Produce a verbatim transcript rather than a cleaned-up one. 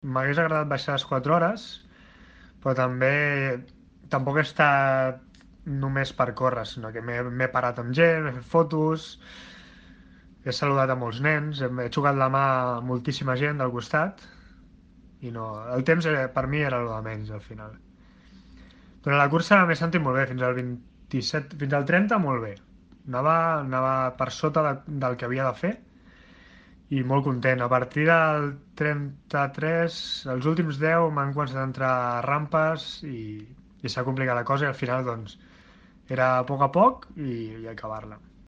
m'hagués agradat baixar les quatre hores, però també tampoc he estat només per córrer, sinó que m'he m'he parat amb gent, he fet fotos, he saludat a molts nens, he, he xucat la mà a moltíssima gent del costat i no, el temps era, per mi era el de menys al final. Però la cursa m'he sentit molt bé, fins al vint-i-set, fins al trenta molt bé. Anava, anava per sota de, del que havia de fer i molt content. A partir del trenta-tres, els últims deu m'han començat a entrar rampes i, i s'ha complicat la cosa i al final doncs era a poc a poc i, i acabar-la.